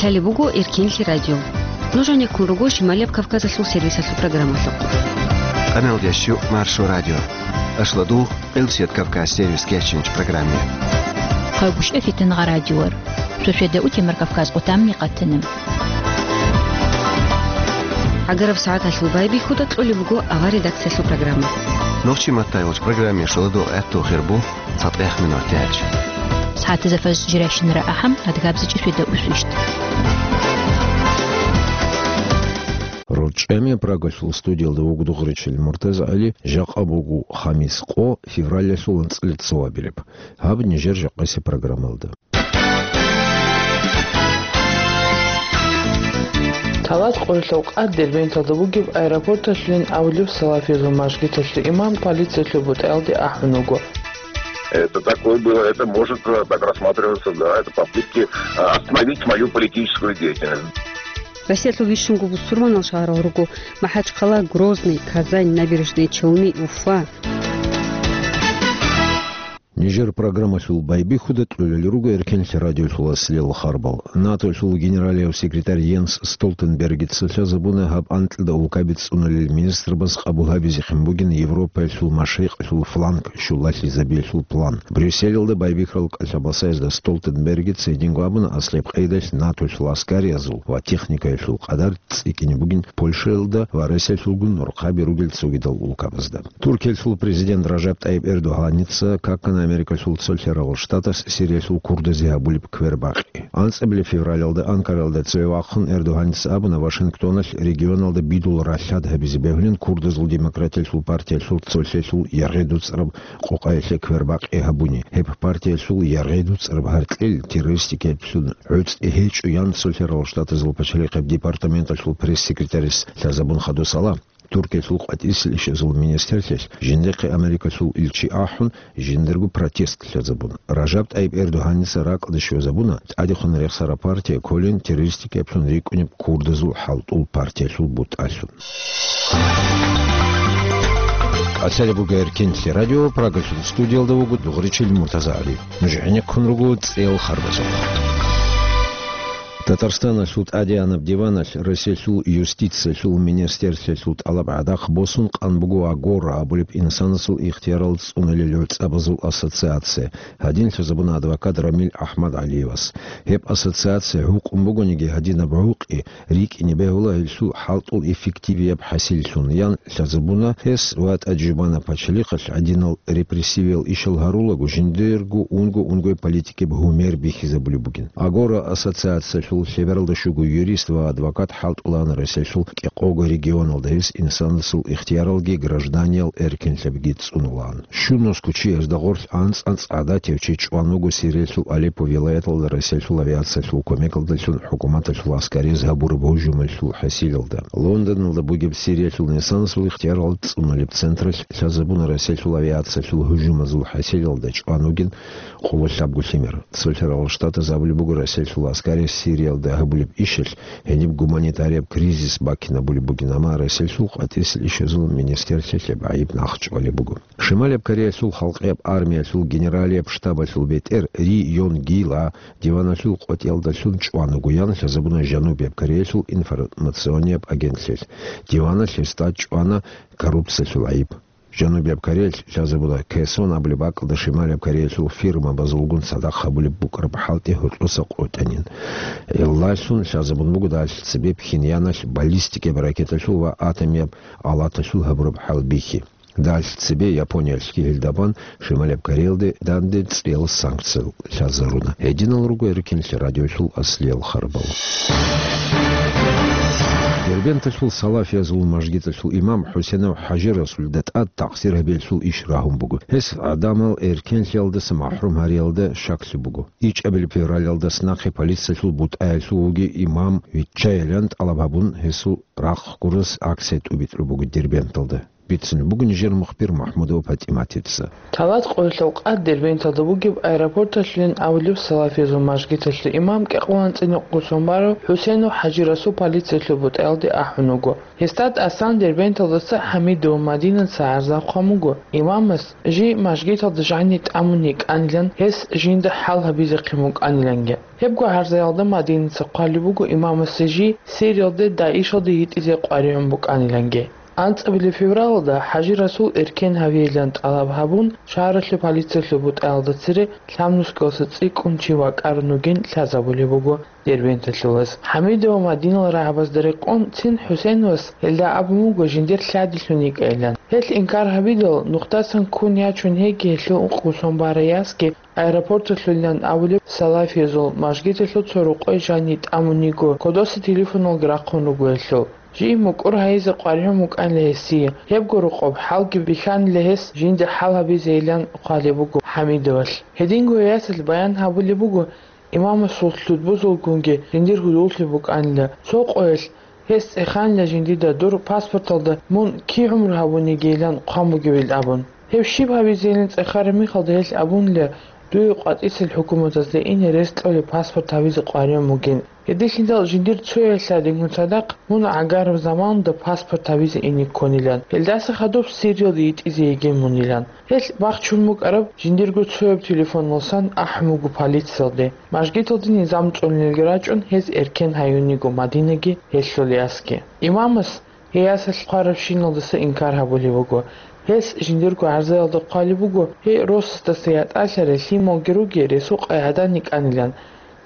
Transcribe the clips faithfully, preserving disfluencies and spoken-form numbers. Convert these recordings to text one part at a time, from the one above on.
Гьале буго Эркенлъи радио. Нуж гӀенеккун руго Шималияб Кавказалъул сервисалъул программалъухъ. Къаналдящу Маршо радио. Ашладу, Къилсият Кавказ сервис кечинч программе. Хъайгъушев Фитангъа радиор. Шошеда утемар Кавказ къутамни къатана. ГӀагараб сагӀаталъул байбихьуда кьолеб буго авар редакциялъул программа. Нохчи маттайвач программе шаладу гӀатту хирбу. ЦатӀех минут тяч. СагӀатазда фаз жирайщинара ахӀам, адгабзичӀи сведа усвищт. РорчӀами Прагалъул студиялда вугу дугъричил Муртаза ГӀали, жакъа бугу хамис къо, февралялъул анцӀила цо абилеб. Гьаб нижер жакъаси программалда. Талат къоялъул къад Дербенталда бугеб аэропорталъулин абулеб салафиязул мажгиталъул имам полициялъул бутӀаялде ахӀун вуго. Это такое было, это может, э, так рассматриваться, да, это попытки, э, остановить мою политическую деятельность. Россиялъул бищунго бусурманал шагьарал руго: МахӀачхъала, Грозный, Казань, Набережные Челны, Уфа. Нижер программалъул байбихьуда кьолел руго Эркенлъи радиолъул аслиялъул харбал. НАТОлъул генералияв секретарь Йенс Столтенбергица лъазабуна гьаб анкьида улкаби цӀунулел министрбаз къабул гьабизехъин бугин Европаялъул машрикъалъул фланг щулалъизабиялъул план. Брюсселалда байбихьарал кӀалъабасаязда Столтенбергица гьединго абуна аслияб къайдалъ НАТОлъул аскариязул ва техникаялъул къадар цӀикӀкӀине бугин Польшаялда ва Россиялъулгун нурхъаби ругел цогидал улкабазда. Туркиялъул президент Ражаб ТӀайиб Эрдогьаница какана Америкалъул цолъарал штатас Сириялъул курдазе гьабулеб квербакъи. АнцӀабилеб февралалда Анкаралда цеве вахъун Эрдогьаница абуна Вашингтоналъ регионалда бидул ралъад гьабизе бегьулин курдазул демократиялъул партиялъул цолъелъул яргъи дуцӀараб къокъаялъе квербакъи гьабуни. Гьеб партиялъул яргъи дуцӀараб гьаркьел террористикаялъул гӀуцӀи гьечӀо, ян цолъарал штатазул пачалихъеб департаменталъул пресс-секретарис лъазабун хадусала. Туркиялъул къватӀисел ишазул министрлъиялъ жиндихъе Америкалъул илчи ахӀун, жиндирго протест лъазабуна. Ражаб ТӀайиб Эрдогьаница ракӀалде щвезабуна тӀадехун рехсараб партия кколин террористикаялъун рикӀкӀунеб курдазул хӀалтӀул партиялъул бутӀалъун. Къасалеб буго Эркенлъи радио, Прагалъул студиялда вуго дугъричил Муртаза ГӀали. Нуж гӀенеккун руго цӀел харбазухъ. Татарстаналъул тӀадегӀанаб диваналъ Россиялъул юстициялъул министрлъиялъул тӀалаб гӀадахъ босун къан буго Агора абулеб инсанасул ихтиярал цӀунулел гӀуцӀабазул ассоциация. Гьадин лъазабуна адвокат Рамил АхӀмадгӀалиевас. Гьеб ассоциация гьукъун бугониги гьадинаб гӀукъи рикӀкӀине бегьула гьелъул хӀалтӀул эффективияб хӀасиллъун, ян лъазабуна гьес ва ТӀаджубанаб пачалихъалъ гьадинал репрессивиял ишал гьарулаго жиндирго унго-унгояб политикияб гьумер бихьизабулеб бугин. Агора ассоциациялъул лъебералда щуго юрист ва адвокат хӀалтӀулаан Россиялъул кӀикъого регионалда гьес инсанасул ихтияралги гражданиял эркинлъабиги цӀунулаан. Щунас кучиясда гъорлъ анцӀ-анцӀ гӀадатив чи чӀван вуго Сириялъул Алеппо вилаяталда Россиялъул авиациялъул кумекалдалъун хӀукуматалъул гӀаскариз гьабураб гьужумалъул хӀасилалда. Лондоналда бугеб Сириялъул инсанасул ихтиярал цӀунулеб централъ лъазабуна Россиялъул авиациялъул гьужумазул хӀасилалда чӀван вугин къоло лъабго лъимер. Цолъарал Штатаз абулеб буго Россиялъул гӀаскари Сириялда гьабулеб ишалъ гьениб гуманитарияб кризис бакинабулеб бугин, амма Россиялъул къватӀисел ишазул министрлъиялъ гьеб гӀайиб нахъчӀвалеб буго. Шималияб Кореялъул халкъияб армиялъул генералияб штабалъул бетӀер Ри Йонг Гила диваналъул къотӀиялдалъун чӀван вуго, ян лъазабуна Жанубияб Кореялъул информационияб агентлъиялъ. Диваналъ гьесда чӀвана коррупциялъул гӀайиб. Жанубияб Кореялъ лъазабуна Кэсон абулеб бакӀалда Шималияб Кореялъул фирмабазулгун цадахъ гьабулеб букӀараб хӀалтӀи гьоркьоса къотӀанин. Гьелдалъун лъазабун буго далъ цебе Пхеньяналъ баллистикияб ракеталъул ва атомияб алаталъул гьабураб хӀалбихьи. Далъ цебе Япониялъги гьелда бан Шималияб Кореялде данде цӀиял санкциял лъазаруна. Гьединал руго Эркенлъи радиолъул аслиял харбал. Дербенталъул салафиязул мажгиталъул имам ХӀусенов ХӀажи Расулида тӀад такъсир гьабиялъул иш рагьун буго. Гьес гӀадамал эркенлъиялдаса махӀрум гьариялда щаклъи буго. ИчӀабилеб февралалдаса нахъе полициялъул бутӀаялъув вугев имам виччайилан тӀалаб гьабун, гьесул рахъ гурас акция тӀубитӀулеб буго Дербенталда. Бицунеб буго нижер мухбир МухӀмудова ПатӀиматица. Талат къоялъул къад Дербенталда бугеб аэропорталъулин абулеб салафизул мажгиталъул имам кӀикъоялда анцӀила нухда сон барав ХӀусейнов ХӀажи-Расул полициялъул бутӀаялде ахӀун вуго. Гьесда тӀасан Дербенталдаса ХӀамидова Мадинаца гӀарза хъван буго, имамас жий мажгиталда жаниб тӀамун йикӀанилан, гьес жинда хӀал гьабизехъин букӀаниланги. Гьебго гӀарзаялда Мадинаца хъвалеб буго имамасе жий Сириялде ДАИШалде йитӀизе къваригӀун букӀаниланги. АнцӀабилеб февралалда ХӀажи-Расул эркен гьавейилан тӀалаб гьабун, шагьаралъул полициялъул бутӀаялда цере лъабнусгоялдаса цӀикӀкӀун чи вакӀарун вугин лъазабулеб буго Дербенталъулас. ХӀамидова Мадинал рагӀабазда рекъон цин ХӀусейновас гьелда абун буго жиндир лъадилъун йикӀайилан. Гьелъ инкар гьабидал, нухдасан ккун ячун гьейги гьелъул ункъго сон барай ясги аэропорталъулилан абулеб салафиязул мажгиталъул цо рукъой жаниб тӀамун йиго, кодоса телефоналги рахъун руго гьелъул. Жий мукӀур гьайизе къваригӀун букӀанила гьесие, гьебго рокъоб хӀалги бихьанила гьес жинда хӀал гьабизейилан хъвалеб буго ХӀамидовалъ. Гьединго ясалъ баян гьабулеб буго, имамасул лъудбузулгунги жиндир гьудуллъи букӀанила, цо къоялъ гьес цӀеханила жиндида дур паспорталда мун кигӀумру гьабунигейилан хъван бугебилан абун. Гьеб щиб гьабизейилан цӀехараб мехалда гьелъ абунила, дуе къватӀисел хӀукуматазда ине рес кьолеб паспорт гьабизе къваригӀун бугин. Гьединлъидал жиндир цояй лъадингун цадахъ мун гӀагараб заманалда паспорт гьабизе ине ккунилан. Гьелдаса хадуб Сириялде йитӀизе йигин мунилан. Гьелъ бахчун букӀараб жиндирго цояб телефоналдасан ахӀун буго полициялде. Мажгиталде низам цӀунулелги рачӀун, гьез эркен гьаюн йиго Мадинаги гьелъул ясги. Имамас гьей ясалъ хъварабщиналдаса инкар гьабулеб буго. Гьес жиндирго гӀарзаялда хъвалеб буго, гьей росасдаса ятӀалъарай лъималги ругел ресукъай гӀадан йикӀанилан.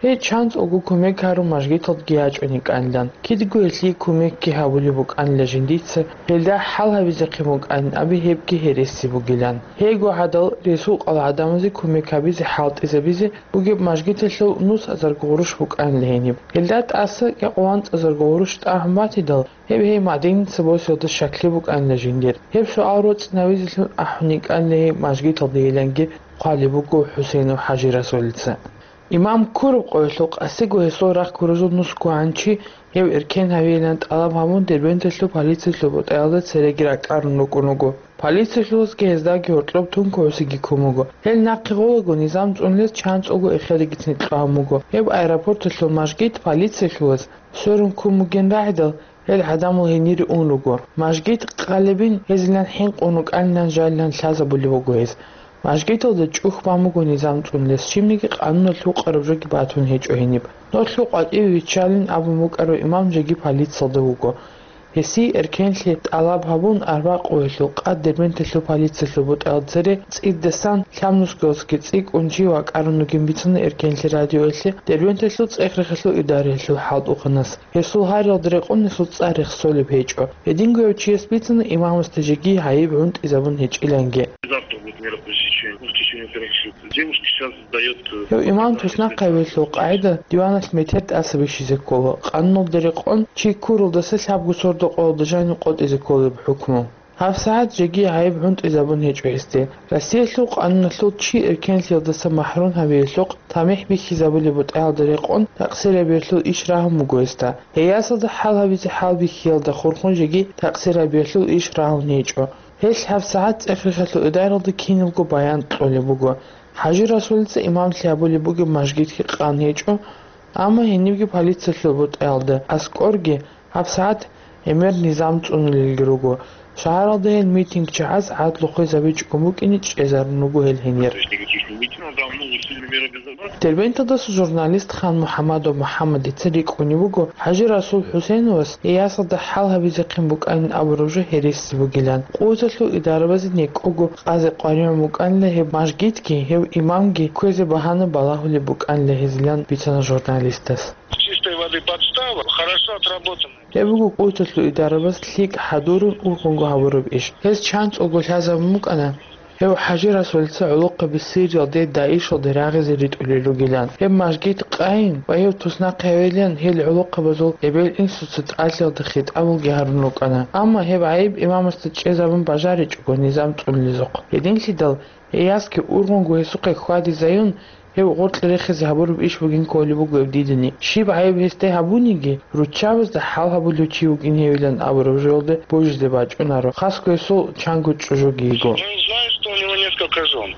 Гьей чанцӀулго кумек гьарун мажгиталдеги ячӀун йикӀанилан. Кидго гьелъие кумекги гьабулеб букӀанила жиндица, гьелда хӀал гьабизехъин букӀанин аби гьебги гьереси бугилан. Гьейго гӀадал ресукъал гӀадамазе кумек гьабизе хӀалтӀизабизе бугеб мажгиталъул нусазарго гъурущ букӀанила гьениб. Гьелда тӀаса кӀикъоялда анцӀазарго гъурущ тӀагӀун батидал, гьеб гьей Мадинаца босиялда щаклъи букӀанила жиндир. Гьеб суал роцӀцӀинавизелъун ахӀун йикӀанила гьей мажгиталдейиланги хъвалеб буго ХӀусейнов ХӀажи-Расулица. Имам ккураб къоялъул къасиго гьесул рахъ ккуразул нусго гӀанчи гьев эркен гьавейилан тӀалаб гьабун, Дербенталъул полициялъул бутӀаялда цереги ракӀарун рукӀун вуго. Полициялъулазги гьездаги гьоркьоб тункугӀусиги ккун буго. Гьел нахъе гъолаго низам цӀунулез чанцӀулго эхедагицин кьун буго. Гьеб аэропорталъул мажгит полициялъулаз сверун ккун бугин рагӀидал, гьел гӀадамал гьенире ун руго. Мажгит къалебин гьезилан хӀинкъун рукӀанилан жалилан лъазабулеб буго гьез. Мажгиталда чӀухь бан буго низам цӀунулес, щибниги къануналъ гьукъараб жоги батун гьечӀо гьениб. Нолъго къватӀиве виччалин абун букӀарав имам жеги полициялда вуго. Гьесие эркенлъи тӀалаб гьабун, арбакъуялъул къад Дербенталъул полициялъул бутӀаялда цере цӀидасан лъабнусгоялдасаги цӀикӀкӀун чи вакӀарун вугин бицуна эркенлъи радиоялъе Дербенталъул цӀех-рехалъул идараялъул хӀалтӀухъанас. Гьесул гьариялда рекъон гьесул цӀар рехсолеб гьечӀо. Гьединго гьев чияс бицуна имамасда жеги гӀайиб гӀунтӀизабун гьечӀиланги. Завтра будет мероприятие в течение трех суток. Девушка сейчас сдаёт, э, Гьев имам туснахъ гьавиялъул къагӀида диваналъ метер тӀаса бихьизе ккола. Къануналда рекъон чи ккуралдаса лъабго сордо къоялда жанив къотӀизе кколеб хӀукму. ГьабсагӀат жеги гӀайиб гӀунтӀизабун гьечӀо гьесде. Россиялъул къануналъул чи эркенлъиялдаса махӀрум гьавиялъухъ тамихӀ бихьизабулеб бутӀаялда рекъон такъсирабиялъул иш рагьун буго гьесда. Гьей ясалда хӀал гьабизе хӀалбихьиялда хурхун жеги такъсирабиялъул иш рагьун гьечӀо. Гьелъ гьабсагӀат цӀех-рехалъул идаралда киналго баян кьолеб буго. ХӀажи Расулица имамлъи гьабулеб бугеб мажгитги къан гьечӀо, амма гьенибги полициялъул бутӀаялда аскӀорги гьабсагӀат гӀемер низам цӀунулелги руго. Шагьаралда гьел митинг чагӀаз гӀадлу хвезабичӀого букӀине чӀезарун руго гьел гьенир. Дербенталдаса журналист Хан МухӀамадов МухӀаммадица рикӀкӀунеб буго, ХӀажи Расул ХӀусейновас гьей ясалда хӀал гьабизехъин букӀанин абураб жо гьереси бугилан. Къуваталъул идарабазе некӀого къазе къваригӀун букӀанила гьеб мажгитги, гьев имамги кквезе багьана балагьулеб букӀанила гьезилан бицана журналистас. Чистой воды подстава, хорошо отработанная. Гьеб буго къуваталъул идарабаз лъикӀ хӀадурун ургъунго гьабураб иш. Гьез чанцӀулго лъазабун букӀана, гьев ХӀажи Расулица гӀолохъаби Сириялде ДАИШалде рагъизе ритӀулел ругилан. Гьеб мажгит къайин ва гьев туснахъ гьавилан гьел гӀолохъабазул эбел-инсуца тӀалъиялда хитӀабулги гьарун рукӀана. Амма гьеб гӀайиб имамасда чӀезабун бажаричӀого низам цӀунулезухъ. Гьединлъидал, гьей ясги ургъунго гьесухъе хьвадизаюн, Гьев гъоркье рехизе гьабураб иш бугин кколеб буго гьеб дидани. Щиб гӀайиб гьесде гьабуниги, руччабазда хӀал гьабулев чи вукӀин гьевилан абураб жоялде божизе бачӀунаро. Хасго гьесул чанго чӀужуги йиго. Я не знаю, что у него несколько жен.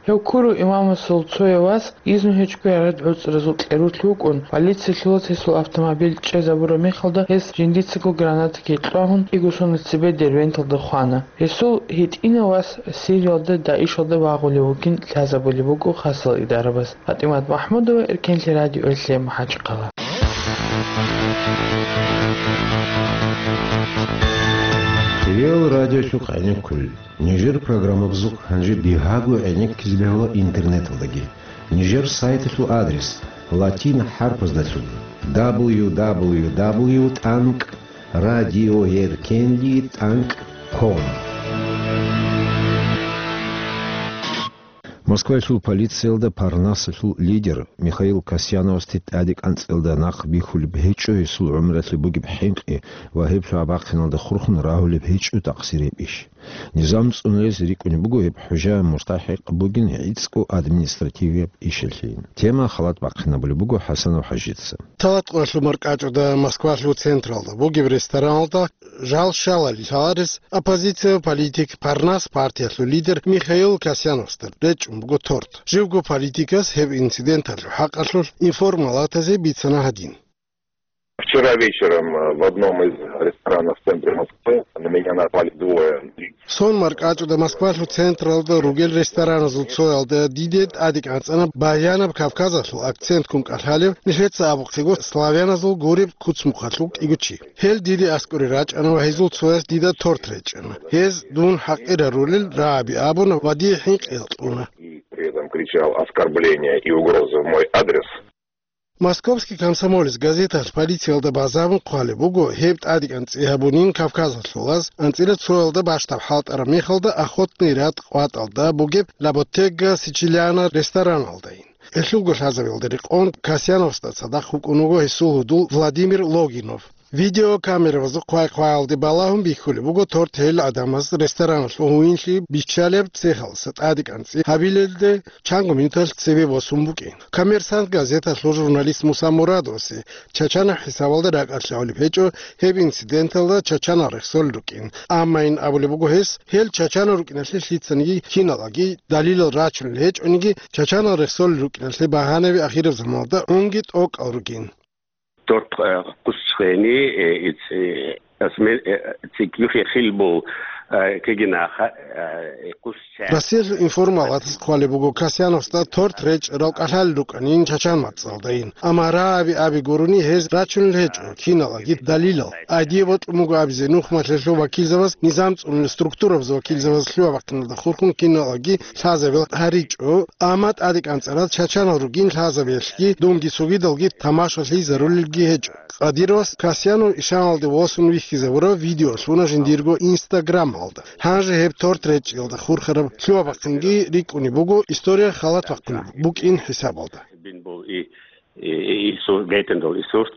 Гьев ккурав имамасул цояв вас изну гьечӀого гӀарад гӀуцӀразул кьерулъ вукӀун, полициялъулас гьесул автомобиль чӀезабураб мехалда гьес жиндицаго гранатаги кьвагьун, кӀиго соналъ цебе Дербенталда хвана. Гьесул гьитӀинав вас Сириялда ДАИШалда вагъулев вугин лъазабулеб буго хасал идарабаз. ПатӀимат МахӀмудова, Эркенлъи радиоялъе, МахӀачхъала. Хириял радиочухъ гӀенеккулел. Нижер программабазухъ гьанже бигьаго гӀенеккизе бегьула интернеталдаги. Нижер сайталъул адрес латин хӀарпаздалъун: дабл ю дабл ю дабл ю тӀанкӀ радиоеркенлъи тӀанкӀ ком. Москваялъул полициялда Парнасалъул лидер Михаил Касьяновасде тӀаде кӀанцӀиялда нахъ бихьулеб гьечӀо гьесул гӀумралъе бугеб хӀинкъи ва гьеб лъугьа-бахъиналда хурхун рагьулеб гьечӀо такъсир гьеб иш. Низам цӀунулез рикӀкӀунеб буго гьеб хӀужа мустахӀикъ бугин гӀицӀго административияб ишалъейин. Тема халат бахъинабулеб буго ХӀасанов ХӀажица. Талат къоялъул маркӀачӀуда Москвалъул централда бугеб рестораналда жал щалали лъаларес оппозиция политик Парнас партиялъул лидер Михаил Касьяновасда речӀчӀун буго торт. Живго политикас гьеб инциденталъул хӀакъалъулъ информалатазе бицана гьадин. Вчера вечером, э, в одном из ресторанов в центре Москвы на меня напали двое лиц. Сон маркӀачӀуда Москвалъул централда ругел рестораназул цоялда диде тӀаде кӀанцӀана баянаб Кавказалъул акцентккун кӀалъалев, нилъеца абухъего славяназул гуреб куцмухъалъул кӀиго чи. Гьел диде аскӀоре рачӀана ва гьезул цояс дида торт речӀчӀана. Гьез дун хӀакъир гьарулел рагӀаби абуна ва дие хӀинкъи кьуна. И при этом кричал оскорбления и угрозы в мой адрес. Московский комсомолец газеталъ полициялда базарун хъвалеб буго, гьеб тӀадекӀанцӀи гьабунин Кавказалъулаз, анцӀила цоялда бащдаб хӀалтӀараб мехалда Охотный ряд къватӀалда бугеб Ла Боттега Сичилиана рестораналдайин. Гьелъулго лъазабиялда рекъон Касьяновасда цадахъ вукӀун вуго гьесул гьудул Владимир Логинов. Видеокамеравазул хъвай-хъваялде балагьун бихьулеб буго торт гьел гӀадамаз рестораналъул гьуинлъи биччалеб цехалъа тӀадекӀанцӀи гьабилелде чанго минуталъ цебе босун букӀин. Коммерсант газеталъул журналист Муса Мурадовасе чачанаб хӀисабалда ракӀалъ лъалеб гьечӀо гьеб инциденталда чачанал рехсолел рукӀин. Амма ин абулеб буго гьес, гьел чачанал рукӀиналъе лъицаниги киналаги далилал рачунел гьечӀониги, чачанал рехсолел рукӀиналъе багьанаби ахираб заманалда гӀунги тӀокӀал ругин. Dort, äh, къусчӀени, э, иц-, э, асме-, э, цикӀ юхье хил бул, э, кегинаха, э, къусчӀа. Россиялъул информалатас хъвалеб буго Касьяновасда торт речӀчӀарал кӀалъалел рукӀанин чачан мацӀалдайин. Амма рагӀаби аби гурони гьез рачунел гьечӀо киналаги далилал. Гьадие бокьун буго абизе нухмалъулъ вакилзабаз, низам цӀунулел структурабазул вакилзабаз лъугьа-бахъиналда хурхун киналаги лъазабиялъ гьаричӀо, амма тӀадекӀанцӀарал чачанал ругин лъазабиялъги, дунги цогидалги тамашалъизарулелги гьечӀо. Къадировас Касьянов ишаналде восун вихьизабураб видео лъуна жиндирго Инстаграмалда. Гьанже гьеб торт речӀчӀиялда хурхараб лъугьа-бахъинги рикӀкӀунеб буго, история халат бахъун букӀин хӀисабалда. Бин бул и, и, и, и сур-, гайтин дол и сурт,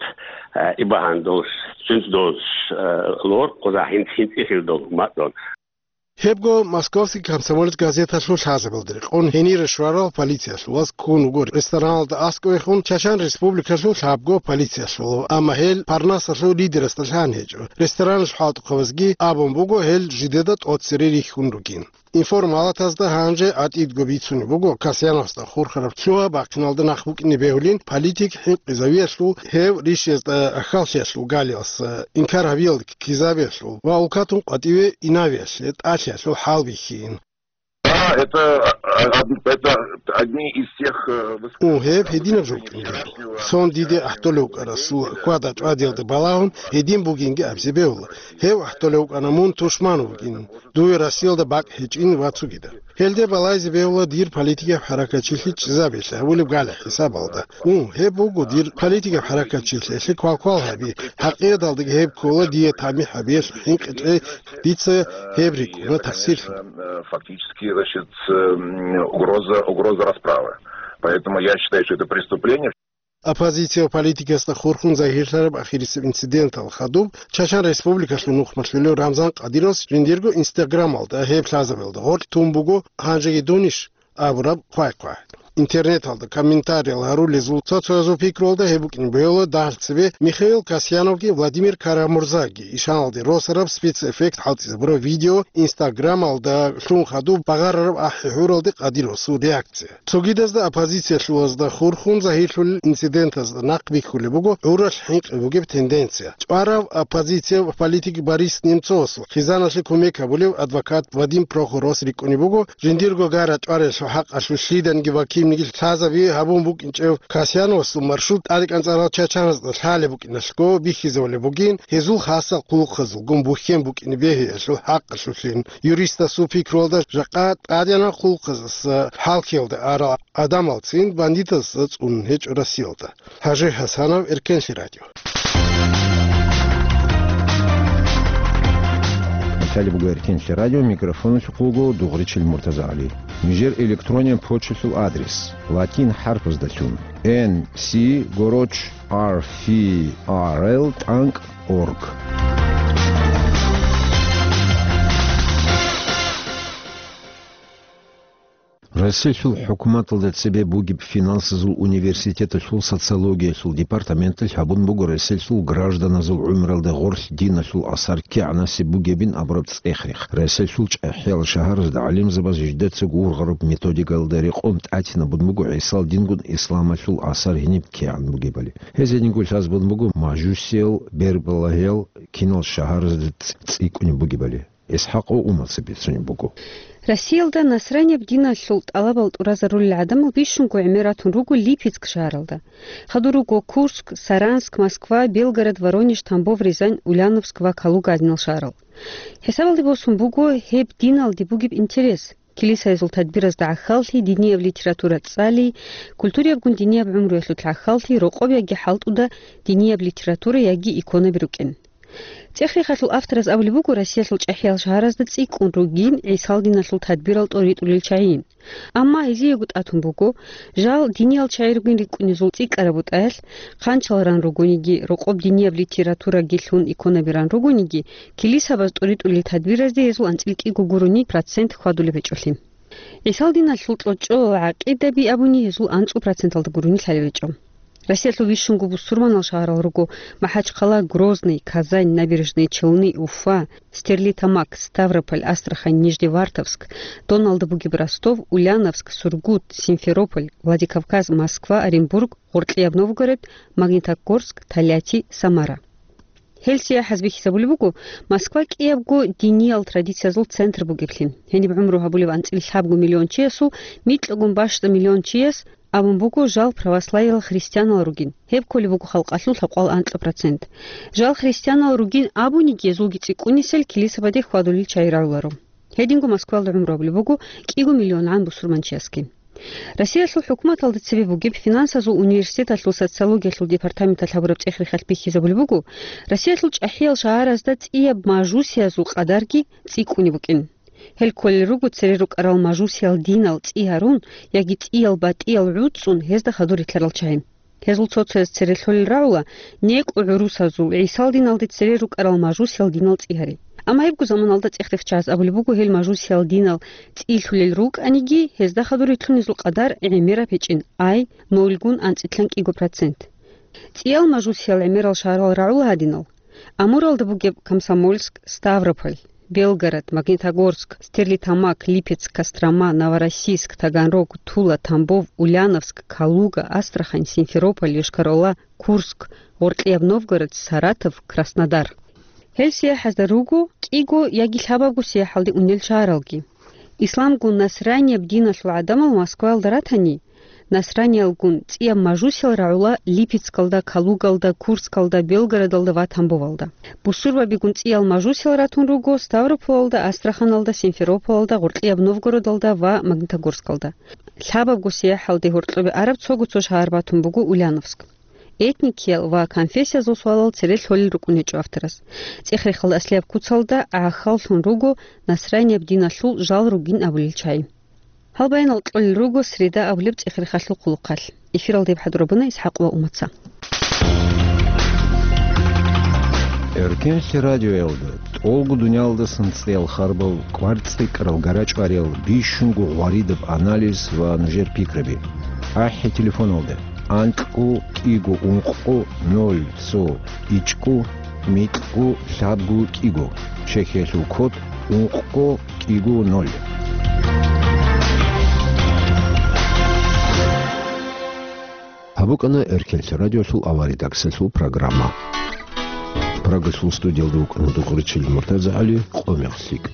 э, и багьан дол, сунс дол, э, лор, къуза хинц-, хинцӀихил дол, мат дол. Гьебго Московский комсомолец газеталъул лъазабилда рекъон гьенире щварал полициялъулаз ккун вуго рестораналда аскӀовехун Чачан Республикалъул лъабго полициялъулав, амма гьел Парнасалъул лидерасда лъан гьечӀо. Рестораналъул хӀалтӀухъабазги абун буго гьел жидеда тӀоцере рихьун ругин. Информалатазда гьанже гӀатӀидго бицунеб буго Касьяновасда хурхараб лъугьа-бахъиналда нахъ букӀине бегьулин политик хӀинкъизавиялъул, гьев ришиязда ахьаллъиялъул галиялъ инкар гьабиялда ккезабиялъул ва улкатун къватӀиве инавиялъе тӀалъиялъул хӀал бихьин. Да, это, а, од-, это одни из тех, э, высказываний. Гьеб гьединаб жо букӀине бегьула. Сон диде гӀахӀдолев вукӀарасул хьвада-чӀвадиялда балагьун гьедин бугинги абизе бегьула. Гьев гӀахӀдолев вукӀана мун тушман вугин, дуе Россиялда бакӀ гьечӀин ва цогидал. Гьелде балайзе бегьула дир политикаб хӀаракатчилъи чӀезабиялъе гьабулеб гали хӀисабалда. Гьеб буго дир политикаб хӀаракатчилъи, гьелъе квалквал гьаби, хӀакъикъаталдаги гьеб ккола дие тамихӀ гьабиялъе хӀинкъичӀей, дица гьеб рикӀкӀуна такъсирлъун. Э, фактически, значит, э, м, угроза, угроза расправы. Поэтому я считаю, что это преступление. Оппозиция политикасда хурхун загьирлъараб ахирисеб инцидентал хадуб Чачан Республикалъул нухмалъулев Рамзан Къадировас жиндирго Инстаграмалда гьеб лъазабиялда гъоркь тун буго, гьанжеги дунищ абураб хъвай-хъвай. Интернеталда комментариял гьарулезул цо-цоязул пикруялда гьеб букӀин бугила дагьал цебе Михаил Касьяновги Владимир Карамурзаги ишаналде росараб спецэффект хӀалтӀизабураб видео, Инстаграмалда лъун хадуб багъарараб ахӀи-гьуралде къадир росул реакция. Цогидазда оппозициялъулазда хурхун загьирлъулел инцидентазда нахъ бихьулеб буго гӀуралъ хӀинкъи бугеб тенденция. ЧӀварав оппозиция политик Борис Немцовасул хъизаналъе кумек гьабулев адвокат Вадим Прохоровас рикӀкӀунеб буго, жиндирго гара чӀварелъул хӀакъалъулъ лъиданиги ва кинниги лъазаби гьабун букӀинчӀев Касьяновасул маршрут тӀадекӀанцӀарал чачаназда лъалеб букӀиналъго бихьизабулеб бугин, гьезул хасал хъулухъазулгун бухьен букӀине бегьиялъул хӀакъалъулъин. Юристасул пикруялда, жакъа тӀадегӀанаб хъулухъаздаса хӀалхьиялда арал гӀадамалцин бандитазда цӀунун гьечӀо Россиялда. Гьажи Гьасанов, Эркенлъи радио. Италия буго Эркенлъи радио, микрофоналъухъ вуго Дугъричил МуртазагӀали. Нижер электрониян почталъул адрес: латин хӀарпаздалъун, N C гороч R F R L тӀанкӀ org. Россиялъул хӀукуматалда цебе бугеб финансазул университеталъул социологиялъул департаменталъ гьабун буго Россиялъул гражданазул гӀумралда гъорлъ диналъул асар кигӀанасеб бугебин абураб цӀех-рех. Россиялъул чӀахӀиял шагьаразда гӀалимзабаз жидецаго ургъараб методикаялда рекъон тӀатинабун буго ГӀисал дингун исламалъул асар гьениб кигӀан бугебали. Гьез гьединго лъазабун буго мажусиял, бербалагьиял кинал шагьаразда цӀ-, цӀикӀкӀунеб бугебали. ИсхӀакъ ва Умаца бицунеб буго. Россиялда насранияб диналъул тӀалабал тӀуразарулел гӀадамал бищунго гӀемер ратун руго Липецк шагьаралда. Хадур руго Курск, Саранск, Москва, Белгород, Воронеж, Тамбов, Рязань, Ульяновск ва Калуга гӀадинал шагьарал. ХӀисабалде босун буго гьеб диналде бугеб интерес. Килисаязул тадбиразда гӀахьаллъи, динияб литература цӀали, культуриябгун динияб гӀумруялъулъ гӀахьаллъи, рокъоб яги хӀалтӀуда динияб литература яги иконаби рукӀин. ЦӀех-рехалъул автораз абулеб буго Россиялъул чӀахӀиял шагьаразда цӀикӀкӀун ругин ГӀисал диналъул тадбирал тӀоритӀулел чагӀийин. Амма гьезиего тӀатун буго, жал диниял чагӀи ругин рикӀкӀунезул цӀикӀкӀараб бутӀаялъ, хъанчал ран ругониги, рокъоб динияб литератураги лъун иконаби ран ругониги, килисабаз тӀоритӀулел тадбиразде гьезул анцӀил кӀиго гурони процент хьвадулеб гьечӀолъи. ГӀисал диналъул кьочӀо ва гӀакъидаби абуни гьезул анцӀу проценталда гурони лъалеб гьечӀо. Россиялъул бищунго бусурманал шагьарал руго: МахӀачхъала, Грозный, Казань, Набережные Челны, Уфа, Стерлитамак, Ставрополь, Астрахань, Нижневартовск, доналда бугеб Ростов, Ульяновск, Сургут, Симферополь, Владикавказ, Москва, Оренбург, Гъоркьияб Новгород, Магнитогорск, Тольятти, Самара. Гьел сияхӀаз бихьизабулеб буго Москва кӀиябго диниял традициязул центр бугеблъи. Гьениб гӀумру гьабулев анцӀила лъабго миллион чиясул микьагун бащдаб миллион чияс абун буго жал православиял христианал ругин. Гьеб кколеб буго халкъалъул лъабкъоялда анкьа процент. Жал христианал ругин абуниги, гьезулги цӀикӀкӀунисел килисабаде хьвадулел чагӀи рагӀуларо. Гьединго Москваялда гӀумру гьабулеб буго кӀиго миллионгӀан бусурманчиясги. Россиялъул хӀукуматалда цебе бугеб финансазул университеталъул социологиялъул департаменталъ гьабураб цӀех-рехалъ бихьизабулеб буго, Россиялъул чӀахӀиял шагьаразда цӀияб мажусиязул къадарги цӀикӀкӀунеб букӀин. Гьел кколел руго цере рукӀарал мажусиял динал цӀи гьарун яги цӀиял батӀиял гӀуцӀцӀун гьезда хадур рилълъарал чагӀи. Гьезул цо-цояз цере лъолел рагӀула некӀо гӀурусазул, ГӀисал диналде цере рукӀарал мажусиял динал цӀи гьари. Амма гьебго заманалда цӀех-рех чагӀаз абулеб буго гьел мажусиял динал цӀи лъулел рукӀаниги, гьезда хадур рилълъунезул къадар гӀемераб гьечӀин, ай, нолгун анцӀила кӀиго процент. ЦӀиял мажусиял гӀемерал шагьарал рагӀула гьадинал: Амуралда бугеб Комсомольск, Ставрополь, Белгород, Магнитогорск, Стерлитамак, Липецк, Кострома, Новороссийск, Таганрог, Тула, Тамбов, Ульяновск, Калуга, Астрахань, Симферополь, Йошкар-Ола, Курск, Гъоркьияб Новгород, Саратов, Краснодар. Гьел сияхӀазда руго кӀиго яги лъабабго сияхӀалде унел шагьаралги. Исламгун насранияб диналъул гӀадамал Москваялда ратани, насраниялгун цӀияб мажусиял рагӀула Липецкалда, Калугалда, Курскалда, Белгородалда ва Тамбовалда. Бусурбабигун цӀиял мажусиял ратун руго Ставрополалда, Астраханалда, Симферополалда, Гъоркьияб Новгородалда ва Магнитогорскалда. Лъабабго сияхӀалде гьоркьобе араб цого цо шагьар батун буго Ульяновск. Этникиял ва конфессиязул суалал цере лъолел рукӀун гьечӀо авторас. ЦӀех-рехалда аслияб куцалда гӀахьаллъун руго насранияб диналъул жал ругин абулел чагӀи. Гьал баянал кьолел руго среда абулеб цӀех-рехалъул хъулухъалъ. Эфиралда гьеб хӀадурабуна ИсхӀакъ ва Умаца. Эркенлъи радиоялда тӀолго дуниялдасан цӀеял харбал, кӀвар цӀикӀкӀарал, гара чӀвариял, бищунго гъваридаб анализ ва нужер пикраби. АхӀи телефоналда: анкьго кӀиго ункъго ноль цо ичӀго микьго лъабго кӀиго, Чехиялъул код: ункъго кӀиго ноль. Гьаб букӀана Эркенлъи радиолъул аваридаксалъул программа. Прагалъул студиялда вукӀана Дугъричил МуртазагӀали, къо мех лъикӀ.